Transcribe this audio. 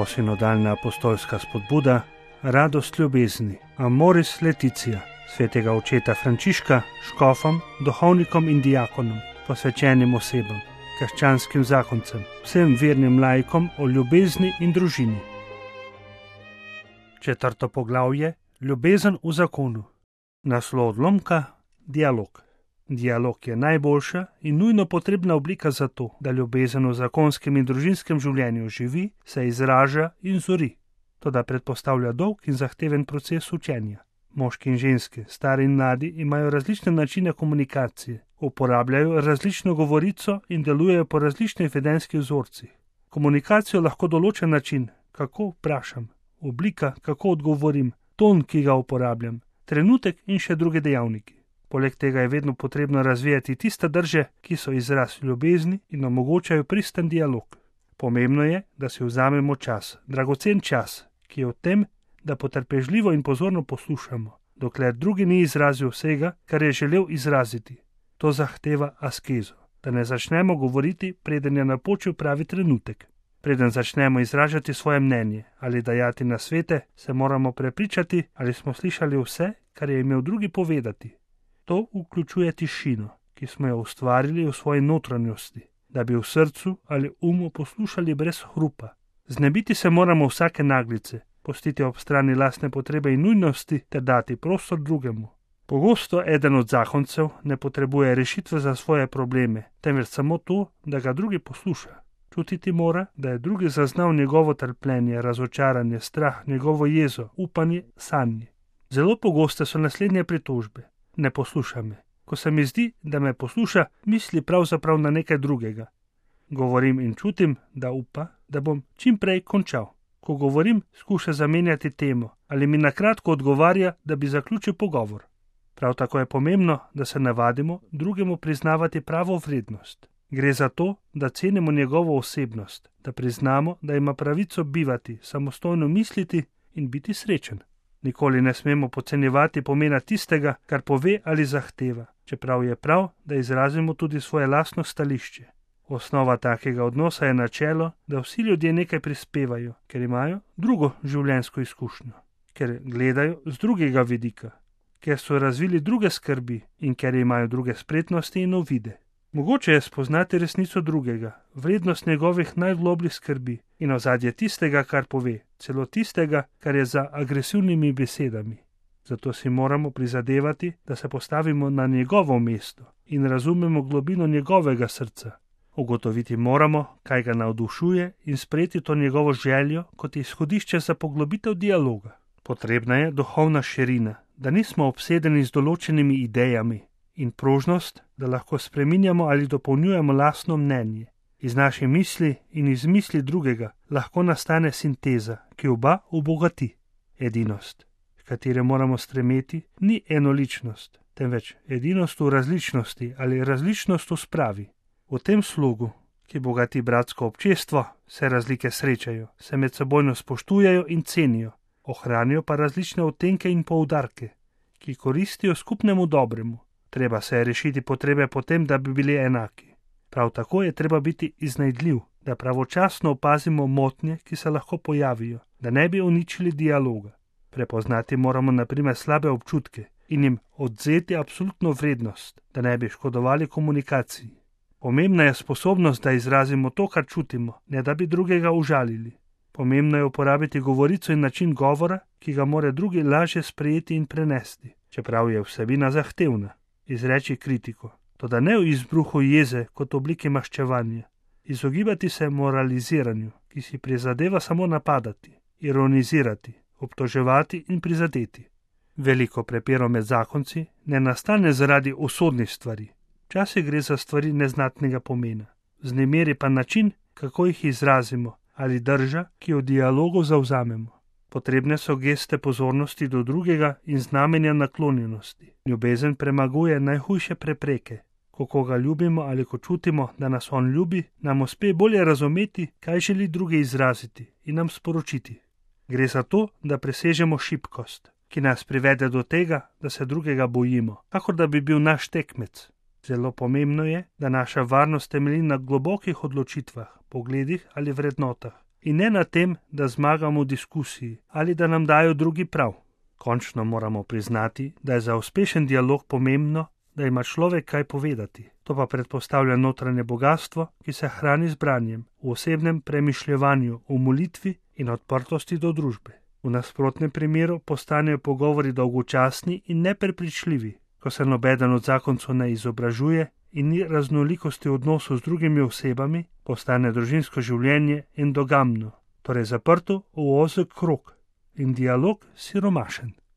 Novosinodalna apostolska spodbuda, radost ljubezni, Amoris Laetitia, svetega očeta Frančiška, škofom, duhovnikom in diakonom, posvečenim osebam, krščanskim zakoncem, vsem vernim laikom o ljubezni in družini. 4. poglavje, ljubezen v zakonu. Naslov odlomka, dialog. Dialog je najboljša in nujno potrebna oblika za to, da ljubezen v zakonskem in družinskem življenju živi, se izraža in zori. Toda predpostavlja dolg in zahteven proces učenja. Moški in ženske, stari in mladi, imajo različne načine komunikacije, uporabljajo različno govorico in delujejo po različnih vedenjskih vzorcih. Komunikacijo lahko določa način, kako vprašam, oblika, kako odgovorim, ton, ki ga uporabljam, trenutek in še druge dejavniki. Poleg tega je vedno potrebno razvijati tiste drže, ki so izraz ljubezni in omogočajo pristen dialog. Pomembno je, da si vzamemo čas, dragocen čas, ki je v tem, da potrpežljivo in pozorno poslušamo, dokler drugi ni izrazil vsega, kar je želel izraziti. To zahteva askezo, da ne začnemo govoriti, preden je napočil pravi trenutek. Preden začnemo izražati svoje mnenje ali dajati nasvete, se moramo prepričati, ali smo slišali vse, kar je imel drugi povedati. To vključuje tišino, ki smo jo ustvarili v svoji notranjosti, da bi v srcu ali umu poslušali brez hrupa. Znebiti se moramo vsake naglice, pustiti ob strani lastne potrebe in nujnosti ter dati prostor drugemu. Pogosto eden od zakoncev ne potrebuje rešitve za svoje probleme, temveč samo to, da ga drugi posluša. Čutiti mora, da je drugi zaznal njegovo trpljenje, razočaranje, strah, njegovo jezo, upanje, sanje. Zelo pogoste so naslednje pritožbe. Ne posluša me. Ko se mi zdi, da me posluša, misli pravzaprav na nekaj drugega. Govorim in čutim, da upa, da bom čim prej končal. Ko govorim, skuša zamenjati temo ali mi na kratko odgovarja, da bi zaključil pogovor. Prav tako je pomembno, da se navadimo drugemu priznavati pravo vrednost. Gre za to, da cenimo njegovo osebnost, da priznamo, da ima pravico bivati, samostojno misliti in biti srečen. Nikoli ne smemo podcenjevati pomena tistega, kar pove ali zahteva, čeprav je prav, da izrazimo tudi svoje lastno stališče. Osnova takega odnosa je načelo, da vsi ljudje nekaj prispevajo, ker imajo drugo življenjsko izkušnjo, ker gledajo z drugega vidika, ker so razvili druge skrbi in ker imajo druge spretnosti in uvide. Mogoče je spoznati resnico drugega, vrednost njegovih najglobljih skrbi in ozadje tistega, kar pove, celo tistega, kar je za agresivnimi besedami. Zato si moramo prizadevati, da se postavimo na njegovo mesto in razumemo globino njegovega srca. Ugotoviti moramo, kaj ga navdušuje in sprejeti to njegovo željo kot izhodišče za poglobitev dialoga. Potrebna je duhovna širina, da nismo obsedeni z določenimi idejami, in prožnost, da lahko spreminjamo ali dopolnjujemo lastno mnenje. Iz naše misli in iz misli drugega lahko nastane sinteza, ki oba obogati. Edinost, v katere moramo stremeti, ni enoličnost, temveč edinost v različnosti ali različnost v spravi. V tem slogu, ki bogati bratsko občestvo, se razlike srečajo, se medsebojno spoštujejo in cenijo, ohranijo pa različne odtenke in poudarke, ki koristijo skupnemu dobremu. Treba se je rešiti potrebe potem, da bi bili enaki. Prav tako je treba biti iznajdljiv, da pravočasno opazimo motnje, ki se lahko pojavijo, da ne bi uničili dialoga. Prepoznati moramo na primer slabe občutke in jim odvzeti absolutno vrednost, da ne bi škodovali komunikaciji. Pomembna je sposobnost, da izrazimo to, kar čutimo, ne da bi drugega užalili. Pomembno je uporabiti govorico in način govora, ki ga more drugi lažje sprejeti in prenesti, čeprav je vsebina zahtevna. Izreči kritiko, toda ne v izbruhu jeze kot obliki maščevanja. Izogibati se moraliziranju, ki si prizadeva samo napadati, ironizirati, obtoževati in prizadeti. Veliko prepirov med zakonci ne nastane zaradi usodnih stvari. Včasih gre za stvari neznatnega pomena. Vznemiri pa način, kako jih izrazimo, ali drža, ki jo v dialogu zavzamemo. Potrebne so geste pozornosti do drugega in znamenja naklonjenosti. Ljubezen premaguje najhujše prepreke. Ko koga ljubimo ali ko čutimo, da nas on ljubi, nam uspe bolje razumeti, kaj želi drugi izraziti in nam sporočiti. Gre za to, da presežemo šibkost, ki nas privede do tega, da se drugega bojimo, kakor da bi bil naš tekmec. Zelo pomembno je, da naša varnost temelji na globokih odločitvah, pogledih ali vrednotah in ne na tem, da zmagamo v diskusiji ali da nam dajo drugi prav. Končno moramo priznati, da je za uspešen dialog pomembno, da ima človek kaj povedati. To pa predpostavlja notranje bogatstvo, ki se hrani z branjem, v osebnem premišljevanju, v molitvi in odprtosti do družbe. V nasprotnem primeru postanejo pogovori dolgočasni in neprepričljivi, ko se nobeden od zakoncev ne izobražuje in ni raznolikosti odnosov z drugimi osebami, postane družinsko življenje endogamno, torej zaprto v ozek krog in dialog siromašen.